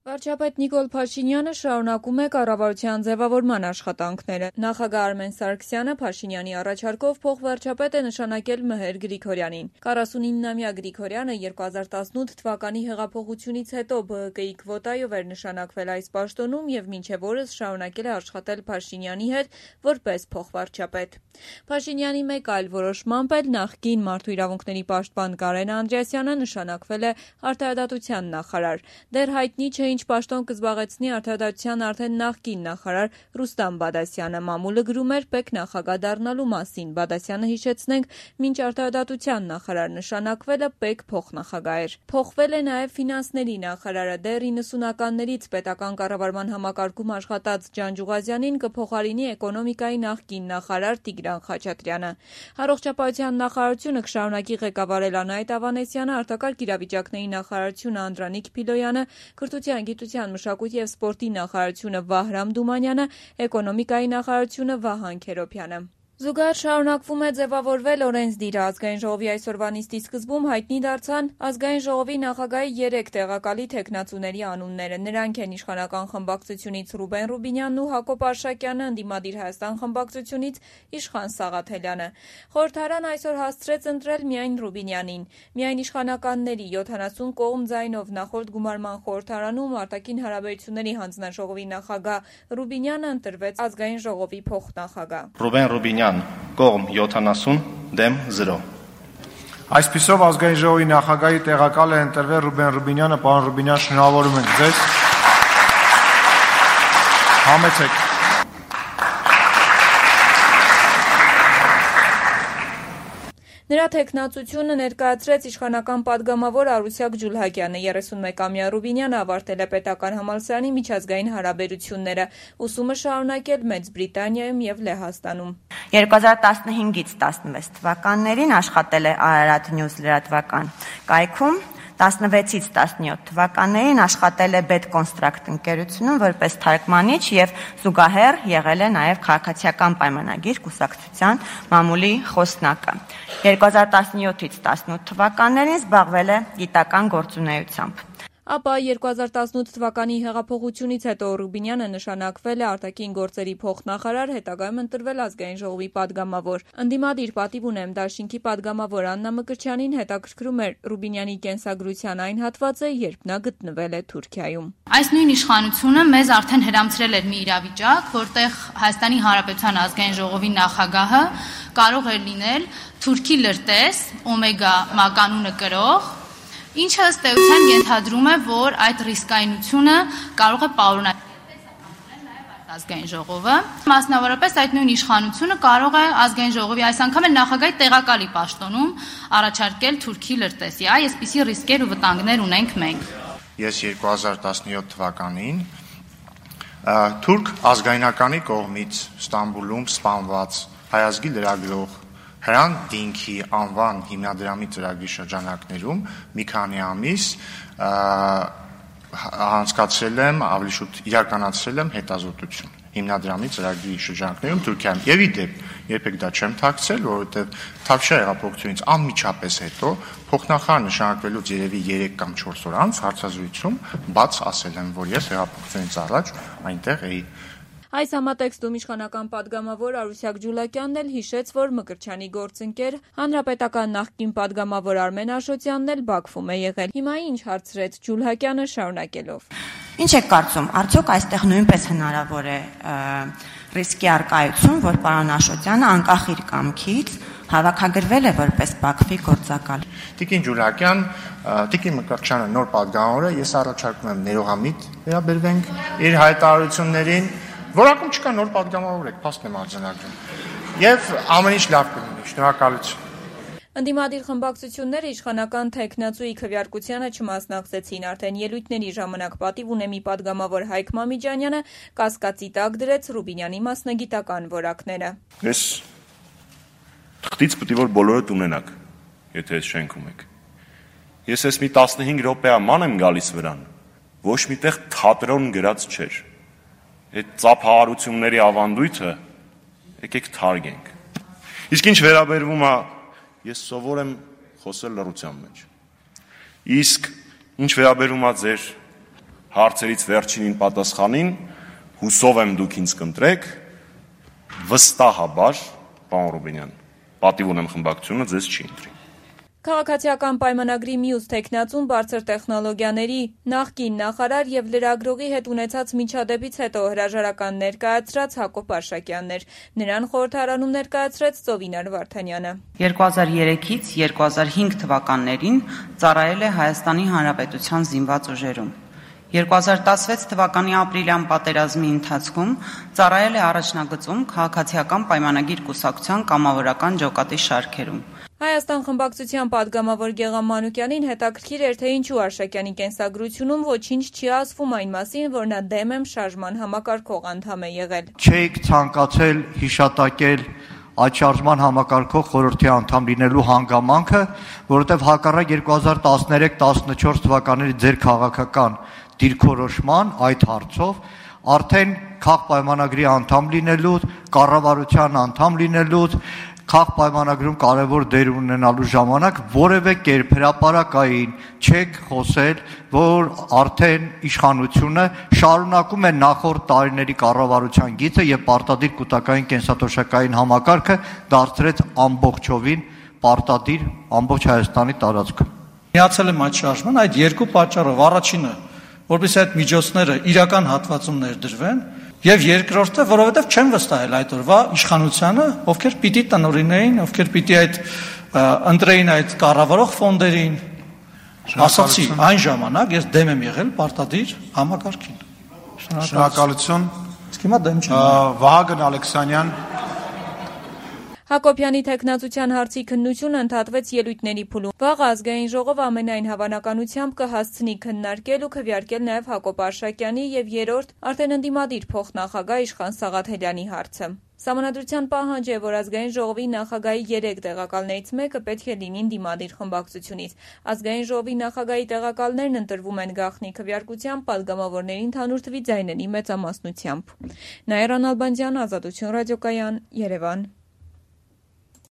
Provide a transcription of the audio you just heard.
Վարչապետ Նիկոլ Փաշինյանը շարունակում է կառավարության ձևավորման աշխատանքները։ Նախագահ Արմեն Սարգսյանը Փաշինյանի առաջարկով փոխվարչապետ է նշանակել Մհեր Գրիգորյանին։ 49-ամյա Գրիգորյանը 2018 թվականի հեղափոխությունից հետո ԲՀԿ-ի քվոտայով էր նշանակվել այս պաշտոնում եւ մինչեւ օրս շարունակել է աշխատել Փաշինյանի հետ որպես փոխվարչապետ։ Փաշինյանի մեկ այլ որոշմամբ էլ նախկին մարդու իրավունքների պաշտպան Կարեն Անդրեասյանը նշանակվել է արդարադատության նախարար։ Դեռ հայտնի չէ ինչ պաշտոն կզբաղեցնի արդարադատության արդեն նախկին նախարար Ռուստամ Բադասյանը։ Մամուլը գրում էր պետնախագահ դառնալու մասին։ Բադասյանը, հիշեցնենք, մինչ արդարադատության նախարար նշանակվելը պետ փոխնախագահ էր։ Փոխվել է նաև ֆինանսների նախարարը։ Դեռ 90-ականներից պետական կառավարման համակարգում աշխատած Ջանջուղազյանին կփոխարինի էկոնոմիկայի նախկին նախարար Տիգրան Խաչատրյանը։ Առողջապահության նախարարությունը կշարունակի ղեկավարել Անահիտ Ավանեսյանը, արտակարգ իրավիճակների նախարարությունը Անդրանիկ Փիլոյանը, Կրթության, գիտության, մշակույթի և սպորտի նախարարությունը Վահրամ Դումանյանը, էկոնոմիկայի նախարարությունը Վահան Քերոբյանը։ Զուգահեռ շարունակվում է ձևավորվել օրենսդիրը։ Ազգային ժողովի այսօրվա նիստի սկզբում հայտնի դարձան Ազգային ժողովի նախագահի 3 տեղակալի թեկնածուների անունները։ Նրանք են իշխանական խմբակցությունից Ռուբեն Ռուբինյանն ու Հակոբ Արշակյանը, Ընդդիմադիր Հայաստան խմբակցությունից Իշխան Սաղաթելյանը։ Խորհրդարան այսօր հասցրեց ընտրել միայն Ռուբինյանին։ Միայն իշխանականների 70 կողմ ձայնով նախորդ գումարման խորհրդարանում արտաքին հարաբերությունների հանձնաժողովի նախագահ Ռուբինյանը ընտրվեց Ազգային ժողովի փոխնախագահ։ Ռուբեն Ռուբինյան կողմ 70 դեմ 0։ Այսպիսով Ազգային ժողովի նախագահի տեղակալ է ընտրվել Ռուբեն Ռուբինյանը։ Պարոն Ռուբինյան, շնորհավորում ենք ձեզ։ Համեցեք։ Նրա թեկնածությունը ներկայացրեց իշխանական պատգամավոր Արուսյակ Ջուլհակյանը։ 31-ամյա Ռուբինյանը ավարտել է պետական համալսարանի միջազգային հարաբերությունները, ուսումը շարունակել Մեծ Բրիտանիայում և Լեհաստանում։ 2015-ից 16 թվականներին աշխատել է Արարատ Նյուզ լրատվական կայքում, 16-ից 17 թվականներին աշխատել է Բետկոնստրակտ ընկերությունում որպես թարգմանիչ և զուգահեռ եղել է նաև քաղաքացիական պայմանագիր կուսակցության մամուլի խոսնակը։ 2017-ից 18 թվականներին զբաղվել է գիտական գործունեությամբ։ Ապա 2018 թվականի հեղափոխությունից հետո Ռուբինյանը նշանակվել է արտաքին գործերի փոխնախարար, հետագայում ընտրվել Ազգային ժողովի պատգամավոր։ Ընդդիմադիր պատիվ ունեմ դաշինքի պատգամավոր Աննա Մկրտչյանին հետաքրքրում էր Ռուբինյանի կենսագրության այն հատվածը, երբ նա գտնվել է Թուրքիայում։ Այս նույն իշխանությունը մեզ արդեն հրամցրել էր մի իրավիճակ, որտեղ Հայաստանի Հանրապետության Ազգային ժողովի նախագահը կարող էր լինել թուրքի լրտես, օմեգա մականունը կրող, ինչը ըստ էության ենթադրում է, որ այդ ռիսկայնությունը կարող է պարունակել Ազգային ժողովը։ Մասնավորապես այդ նույն իշխանությունը կարող է Ազգային ժողովի այս անգամ էլ նախագահի տեղակալի պաշտոնում առաջարկել թուրքի լրտեսի։ Այսպիսի ռիսկեր ու վտանգներ ունենք մենք։ Ես 2017 թվականին թուրք ազգայնականի կողմից Ստամբուլում սպանված հայազգի լրագրող Հրան Դինքի անվան հիմնադրամի ծրագրի շրջանակներում մի քանի ամիս անցկացրել եմ, ավելի շուտ իրականացրել եմ հետազոտություն հիմնադրամի ծրագրի շրջանակներում Թուրքիայում։ Եվ ի դեպ, երբեք դա չեմ թաքցրել, որովհետև Թավշյա հեղափոխությունից անմիջապես հետո փոխնախարար նշանակվելուց երևի 3 կամ 4 օր անց հարցազրույցում բաց ասել եմ, որ ես հեղափոխությունից առաջ այնտեղ էի։ Այս համատեքստում իշխանական պատգամավոր Արուսյակ Ջուլհակյանն էլ հիշեց, որ Մկրտչյանի գործընկեր հանրապետական նախկին պատգամավոր Արմեն Աշոտյանն էլ Բաքվում է եղել։ Հիմա ինչ հարցրեց Ջուլհակյանը շարունակելով։ Ինչ եք կարծում, արդյոք այստեղ նույնպես հնարավոր է ռիսկի առկայություն, որ պարոն Աշոտյանը անկախ իր կամքից հավաքագրվել է որպես Բաքվի գործակալ։ Տիկին Ջուլհակյան, Տիկին Մկրտչյանը նոր պատգամավորը, ես առաջարկում եմ ներողամիտ վերաբերվենք իր հայտարարություններին։ Որակում չկա նոր պատգամավոր եք, փաստ եմ արձանագրում։ Եվ ամեն ինչ լավ կլինի, շնորհակալություն։ Ընդդիմադիր խմբակցությունները իշխանական թեկնածուի քվեարկությանը չմասնակցեցին։ Արդեն ելույթների ժամանակ պատիվ ունեմի պատգամավոր Հայկ Մամիջանյանը կասկածի տակ դրեց Ռուբինյանի մասնագիտական որակները։ Ես թղթից պետք է որ բոլորդ ունենաք, եթե այս շենքում եք։ Ես ես մի 15 րոպեաման եմ գալիս վրան, ոչ միտեղ թատրոն գրած չէր։ Այդ ծափահարությունների ավանդույթը եկեք թարգենք։ Իսկ ինչ վերաբերվում է, ես սովոր եմ խոսել լռության մեջ։ Իսկ ինչ վերաբերում է ձեր հարցերից վերջինին պատասխանին, հուսով եմ դուք ինձ կընտրեք, վստահաբար, պարոն Ռուբինյան, պատիվ ունեմ խմբակցությունը ձեզ չի ընտրի։ Քաղաքացիական պայմանագրի մյուս թեկնածուն բարձր տեխնոլոգիաների նախկին նախարար եւ լրագրողի հետ ունեցած միջադեպից հետո հրաժարական ներկայացրած Հակոբ Արշակյանն էր։ Նրան խորհրդարանում ներկայացրեց Ծովինար Վարդանյանը։ 2003-ից 2005 թվականներին ծառայել է Հայաստանի Հանրապետության զինված ուժերում։ 2016 թվականի ապրիլյան պատերազմի ընթացքում ծառայել է առաջնագծում քաղաքացիական պայմանագիր կուսակցության կամավորական ջոկատի շարքերում։ Հայաստան խմբակցության падգամավոր Գեղամ Մանուկյանին հետաքրքիր էր, թե ինչու Արշակյանի կենսագրությունում ոչինչ չի ասվում այն մասին, որ նա դեմ եմ շարժման համակարգող անդամ է եղել։ Չէիք ցանկացել հիշատակել այդ շարժման համակարգող խորհրդի անդամ լինելու հանգամանքը, որովհետև հակառակ 2013-14 թվականների ձեր քաղաքական դիրքորոշման այդ հարցով արդեն քաղաքապայմանագրի անդամ լինելու, կառավարության անդամ լինելու, քաղաքապայմանագրում կարևոր դեր ունենալու ժամանակ որևէ կերպ հրապարակային չեք խոսել, որ արդեն իշխանությունը շարունակում է նախորդ տարիների կառավարության գիծը եւ պարտադիր կൂട്ടակային կենսաթոշակային համակարգը դարձրեց ամբողջովին պարտադիր ամբողջ Հայաստանի տարածքում։ Միացել եմ այդ շարժման այդ երկու պատճառով, առաջինը, որովհետեւ այդ միջոցները իրական հատվածում ներդրվեն, եւ երկրորդը, որովհետեւ չեմ վստահել այդ օրվա իշխանությանը, ովքեր պիտի տնօրինեին, ովքեր պիտի այդ ընտրեին այդ կառավարող ֆոնդերին, ասացի այն ժամանակ ես դեմ եմ եղել պարտադիր համակարգին։ Շնորհակալություն։ Իսկ հիմա դեմ չեմ։ Վահագն Ալեքսանյան։ Հակոբյանի թեկնածության հարցի քննությունը ընդհատվեց ելույթների փուլում։ Վաղ ազգային ժողովը ամենայն հավանականությամբ կհասցնի քննարկել ու քվեարկել նաև Հակոբ Արշակյանի եւ երրորդ արդեն ընդդիմադիր փոխնախագահ Իշխան Սաղաթելյանի հարցը։ Սահմանադրության պահանջ է, որ ազգային ժողովի նախագահի 3 տեղակալներից մեկը պետք է լինի ընդդիմադիր խմբակցությունից։ Ազգային ժողովի նախագահի տեղակալներն ընտրվում են գաղտնի քվեարկությամբ падգամավորների ընդհանուր թվի ձայների մեծամասնությամբ։ Նաիրա Նալբանդյան, Ազատություն ռադիոկայան, Երևան։